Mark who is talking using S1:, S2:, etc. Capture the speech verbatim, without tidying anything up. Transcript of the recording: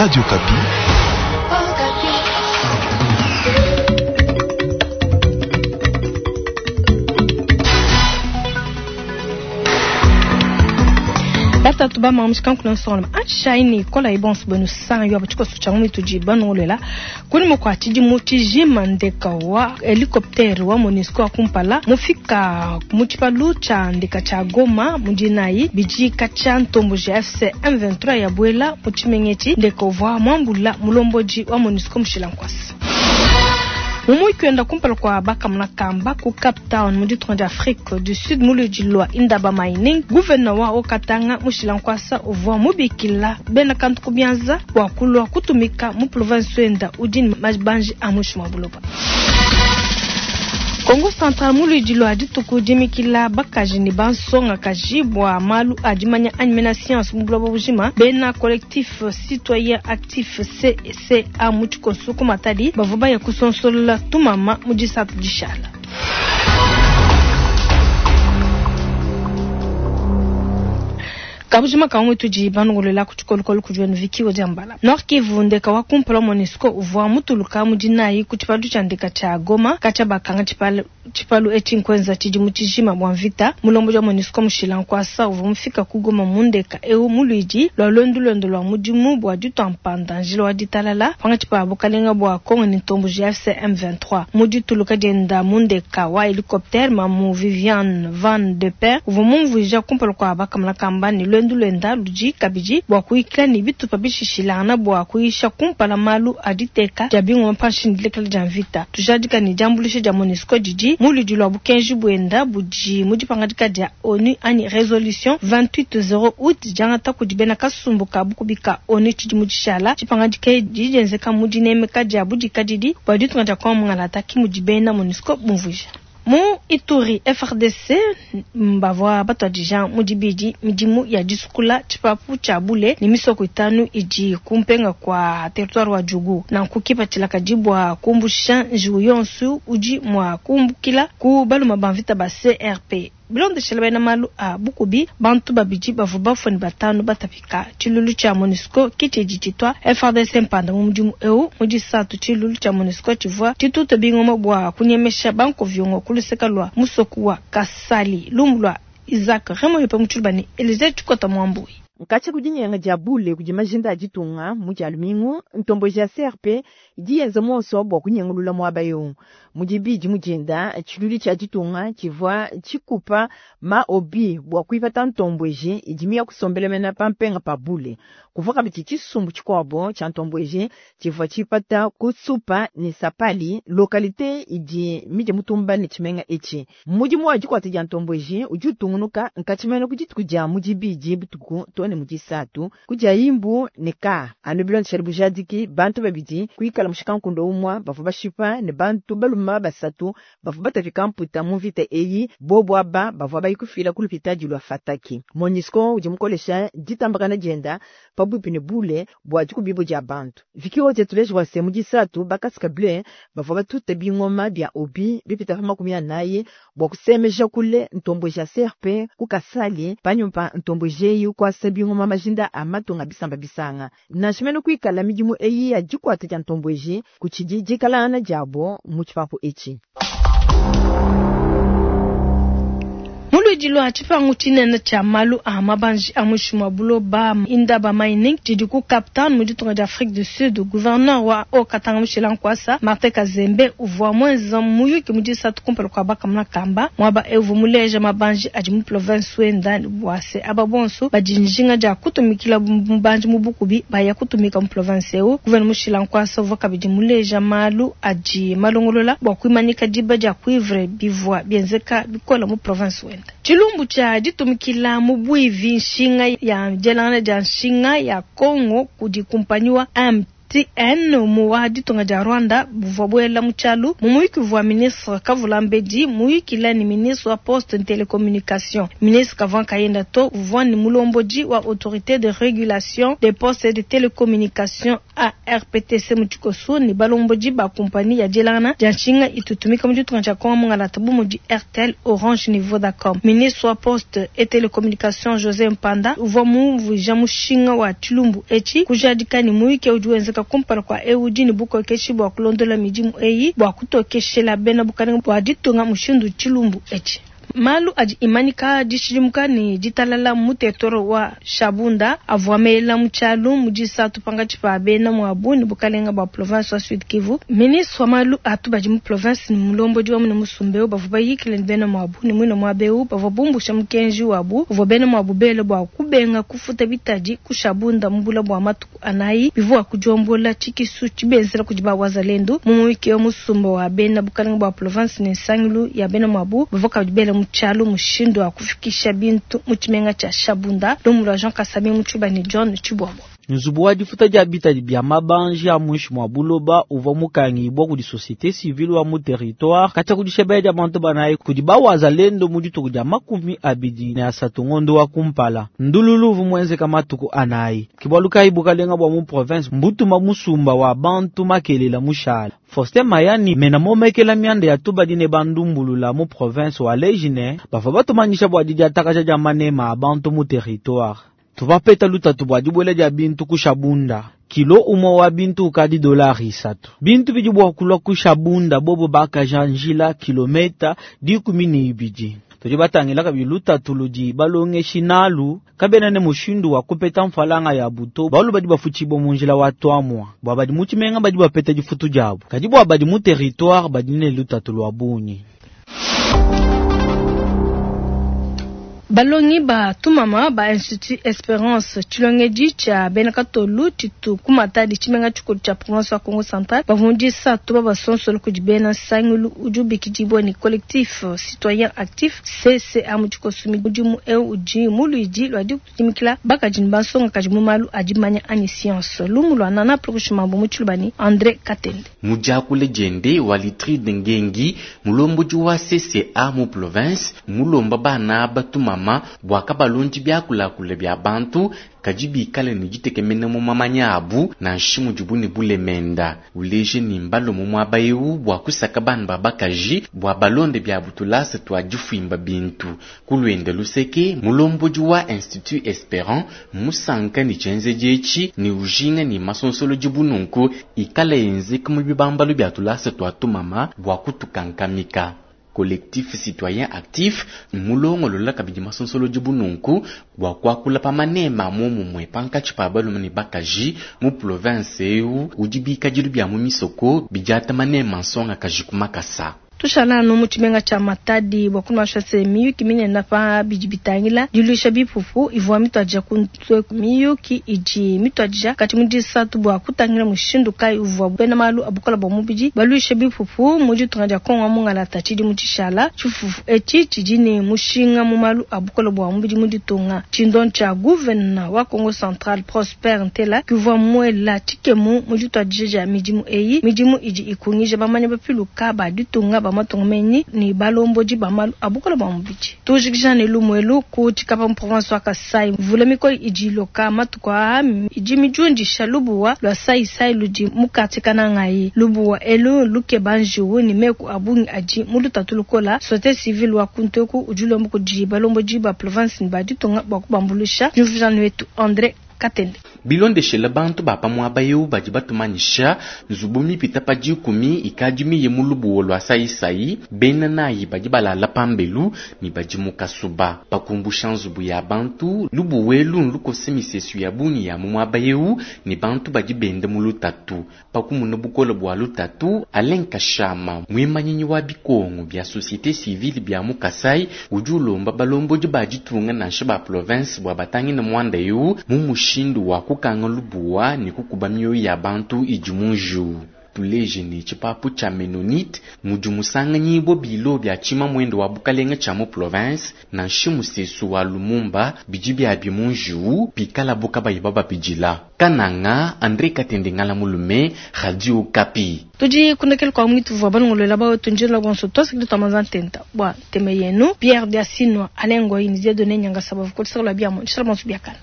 S1: Radio Okapi.
S2: Batatu ba mamushika nsonga atshaini kola ibonso benu sanyo abachikoso cha mwitu jibanolela kuni mukwa tshidimu tshijima ndeka wa helicoptère wa MONUSCO wa kumpala mufika mu tshipalu tsha ndeka tsha Goma mudinayi bidika tsha ntombo G F C M vingt-trois ya bwela mu tshimengetshi ndeka uvua mwambula mulomboji wa MONUSCO mushila nkwasa. Mumu kwenda kumpala kwa bakamuna kamba ku Cape Town mu ditunga dia Afrique du Sud muludi lwa Indaba Mining gouverneur wa Okatanga mushila nkwasa uvua mubikila bena kantu kubyanza bua kulua kutumika mu province wenda udi ne mabanji a mushi mwa buloba. Kongo Central muludi lwa dituku dimikila bakaji ne bansonga kaji bua malu a dimanya anyi mena science mu buloba bujima bena collectif citoyen actif C C A mu tshikoso ku Matadi bavua baya kusonsolola tumama mu disatu dishala. Kabujima kamwe tudi banungulela ku tshikolokolo ku djwenu Vicky Odiambala. Nord Kivu ndeka wa kumpala MONUSCO uvua mutuluka mu dinayi ku tshipalu tshia ndeka tshia Goma katshia bakanga tshipalu, tshipalu etshi nkwenza tshidimu tshijima bua mvita. Mulombo wa MONUSCO mushila nkwasa uvua mufika ku Goma mu ndeka eu mu luidi lwa lwendu lwendo lwa mudimu bua ditua mpanda njila wa ditalala panga tshipa bukalenga bua Kongo ne ntombo G F C M vingt-trois. Mu dituluka dienda mu ndeka wa helicoptère mamu Viviane Van de Per uvua mumvuija kumpala kua bakamuna kamba ne lwendu lwenda ludi kabidi bua kuikala ne bitupa bishishilangana bua kuyisha kumpala malu a diteka dia bingoma panshi ne dilekela dia mvita. Tujadika ne diambuluisha dia MONUSCO didi mu ludi lwa bukenji buenda budi mu dipangadika dia ONU anyi resolution vingt-huit zéro août diangata kudi bena kasumbu ka bukubika ONU tshidi mu dishala. Tshipangadika edi dienzeka mu dinemeka dia budikadidi bua ditunga dia Kongo Mungalata ki mudi bena MONUSCO bumvuija. Mu Ituri F R D C mbavua batwadija mu dibidi midimu ya disukula tshipapu tshia bule ne misoko itanu idi kumpenga kwa territoire wa Djugu. Nanku kipatshila kadi bua kumbusha njiwu yonsu udi mua kumbukila ku baluma ba mvita ba C R P. Bilondeshela bena malu a bukubi bantu babidi bavua bafue ne batanu batapika. Tshilulu tshia MONUSCO kitshidi tshitwa F R D C mpanda mu mudimu eu mu disatu tshilulu tshia MONUSCO tshivua tshituta bingoma bua kunyemesha bankovyongo ku luseka lwa musoku wa Kasali lumbu lwa Isaac Remoyo pe mutshilubane ne Elise Tshikota Mwambui.
S3: Nkatsha kudinyenga dia bule kudi majinda a ditunga mu dia lumingu ntombo ja C R P idi yenza muonso bua kunyengulula muaba eu. Mu dibidi mu dinda tshilulu tshia ditunga tshivua tshikupa ma obi bua kuipata ntombo eji idi miya kusombela mena pa mpenga pa bule. Kuvua kabidi tshisumbu tshikuabo tshia ntombo eji tshivua tshipata kusupa ne sapali localité idi midi mutumba ne tshimenga etshi. Mudimu wa dikuata dia ntombo eji udi utungunuka nkatshimene ku dituku dia mu dibidi butuku to ne mu disatu kudia imbu ne ka anu bilondeshela bujadiki bantu babidi kuikala mushikankundo umwa bavua bashipa ne bantu baluma basatu bavua batapika mputa mu mvita eyi bobo aba bavua bayikufila ku lupitadi lwa Fataki. MONUSCO udi mukolesha ditambakana dienda pabuipi ne bule bua dikubibo dia bantu. Vicky Odia tuleje wa se mu disatu bakasika bleu bavua batuta bingoma bia obi bipita pa makumi anayi bua kusemeja kule ntombo ja C R P ku Kasali panyuma ntombo jeyi kwasa bingoma majinda a matunga bisamba bisanga. Nansha kuikala midimu eyi ya dikuata dia ntombo eji kutshidi dikalana diabo mu tshipapu etshi.
S2: Muludi lwa tshipangu tshinene tsha malu a mabanji a mushi mwa buloba Indaba Mining tshidi ku Cape Town mu ditunga dia Afrique du Sud. Gouverneur wa Haut-Katanga Mushila Nkwasa Martin Kazembe uvua mwenza muyuki mu disatu kumpala kua bakamuna kamba mwaba evu muleja mabanji adi mu province wenda bua se aba bonso badi njinga dia kutumikila mubanji mu bukubi baya kutumika mu province eu. Gouverneur Mushila Nkwasa uvua kabidi muleja malu adi malongolola bua kuimanyika diba dia cuivre bivua bienzeka bikola mu province wenda. Tshilumbu tshia ditumikila mu bwivi nshinga ya dielangana dia nshinga ya Congo kudi kumpanyi wa M M T N mu wa ditunga dia Rwanda buvua buela mu tshialu mu muyuki uvua ministre Kavulambedi muyukila ne ministre wa poste ne telecommunication. Ministre kavua nkayenda to, uvua ne mulombodi wa autorité de régulation des postes et de télécommunications A R P T C mu tshikoso ne balombodi ba kompani ya dielangana dia nshinga itutumika mu ditunga dia Kongo mungalata bu mudi Airtel, Orange ne Vodacom. Ministre wa poste et télécommunication José Mpanda uvua mumvuija mushinga wa tshilumbu etshi kujadika ne muyuki udi wenzeka kumpala kua eu udi ne bukokeshi bua kulondola midimu eyi bua kutokeshela bena bukalenge bua ditunga mushindu tshilumbu etshi. Malu adi imanyika dishidimuka ne ditalala mu territoire wa Shabunda avua mela mu tshialu mu disatu pankatshi pa bena muabu ne bukalenga bua province wa Sud Kivu. Ministre wa malu atu badi mu province ne mulombodi wa mune musumba eu bavua bayikile ne bena muabu ne muine muaba eu bavua bumbusha mukenji wabu uvua bena muabu bele bua kubenga kufuta bitadi ku Shabunda mu bula bua matuku anayi bivua kudiombola tshikisu tshibenzela kudi ba wazalendo. Mu muyuki wa musumba wa bena bukalenga bua province ne nsangilu ya bena muabu bavua kabidi bela mu tshialu mushindu wa kufikisha bintu mu tshimenga tshia Shabunda. Lumu lua Jean Kasami mu Tshiba ne John Tshibwabwa.
S1: Nzubu wa difuta dia bitadi bia mabanji a muinshi mua buloba uvua mukangibwa kudi société civile wa mu territoire katshia kudishebela dia bantu banayi kudi bawazalendo mu dituku dia makumi abidi ne asatu ngondo wa kumpala. Ndululu uvua muenzeka matuku anayi. Ke bualu kayi bukalenga bua mu province mbutuma musumba wa bantu makelela mushala. Faustin Mayani mena momekela mianda ya tubadi ne bandumbulula mu province wa Lejine bavua batumanyisha bua didiatakaja dia manema a bantu mu territoire. Tuvapeta lutatu bua dibuela dia bintu ku Shabunda. Kilo umwe wa bintu ukadi dolari isatu. Bintu bidi bua kulua ku Shabunda bobo bakaja njila kilometa dikumi ne ibidi. Tudi batangila kabidi lutatu ludi balongeshi nalu kabena ne mushindu wa kupeta mfalanga ya buto balu badi bafutshibwa mu njila wa twamwa bua badi mu tshimenga badi bapeta difutu diabu kadi bua badi mu territoire badi ne lutatu lua bungi.
S2: Balongi ba tumama ba Institut Esperance tshilongedi tshia bena katolu tshitu ku Matadi tshimenga tshikulu tshia province wa Kongo Central bavua mu disatu babasonsole kudi bena nsangilu udi ubikidibwa ne collectif citoyen actif C C A mu tshikoso. Mudimu eu udi mu luidi lua dikutumikila bakaji ne bansongakaji mu malu a dimanya anyi science. Lumu lua Nana Plukushimambo mu Tshiluba ne André Katende.
S4: Mu diakula diende Walitride Ngengi mulombodi wa C C A mu province mulomba bana batumama bua kabalundi byakulakula bya bantu kadi bikale ne ditekemena mu mamanya abu nansha mudibu ne bulemenda. Uleje ne mbalo mu muaba eu bua kusaka bana ba bakaji bua balonde bya butulasa twa difuimba bintu. Ku luende luseke mulombodi wa Institut Esperant musanka ne tshienzedi etshi ne ujinga ne masonsolo dibununku ikala yenzeka mu bibambalu bya tulasa twa tumama bua kutukankamika. Collectif citoyen actif mulongolola kabidi masonsolo dibununku bua kuakula pa manema momumue pankatshi pa balume ne bakaji mu province eu udi bikadilu bia mu misoko bidiata manema nsongakaji ku makasa.
S2: Tushala anu mu tshimenga tshia Matadi bua kunuasha se miyuki minene pa bidi bitangila diluisha bipupu ivua mituadija ku miyuki idi mituadija kati mu disatu bua kutangila mushindu kayi uvua bena malu a bukola bua mubidi baluisha bipupu mu ditunga dia Kongo mungalata tshidimu tshishala. Tshifufu etshi tshidi ne mushinga mu malu a bukola bua mubidi mu ditunga. Tshindo tshia gouverneur wa Kongo Central Prosper Ntela kivua muela tshikemu mu dituadija dia midimu eyi. Midimu idi ikungija bamanya bapiluka ba ditunga ba matunga menyi ne balombodi ba malu a bukola bua mubidi. Tujikija ne lumuelu ku Tshikapa mu province wa Kasai. Mvula mikole idi iloka matuku aa idi midiundisha lubuwa lua Saisai ludi mu quartier Kanangayi. Lubuwa elu lukeba njiwu ne meku a bungi adi mu lutatu lukola. Société civile wa kunteku udi ulomba kudi balombodi ba province ne ba ditunga bua kubambuluisha. Juvijano wetu André Katende.
S4: Bilondeshela bantu ba pa muaba eu badi batumanyisha nzubu mipita pa dikumi ikadi miye mu lubuwo lua sayisayi bena nayi badi balala pambelu ne badi mu kasuba. Pakumbusha nzubu ya bantu lubuwelu nlukose misesu ya bungi ya mu muaba eu ne bantu badi benda mu lutatu. Pakumuna bukole bua lutatu Alain Kashama muimanyinyi wa bikongo bia société civile bia mu Kasai udi ulomba balombodi ba ditunga nansha ba province bua batangine muanda eu mu mushindu wa kukanga lubuwa ne kukuba mioyo ya bantu idi mu njiwu. Tuleje ne tshipapu tshia Mennonite mudi musanganyibua bilo bia tshimamuenda wa bukalenga tshia mu polovense nanshi musesu wa Lumumba bidi biabi mu njiu pikalabu kabayi bababidila. Kananga, Andre Katende Ngala Mulume, Radio Okapi.
S2: Tudi kundekela kwa mwitu vwa balongolola ba wetu njila bonso twasakidi twamanza ntenta bua ntema yenu Pierre Diasinwa Alain Ngoyi ni Dieudonné Nyangasa bavukotisakala biamo nshala bonso biakana.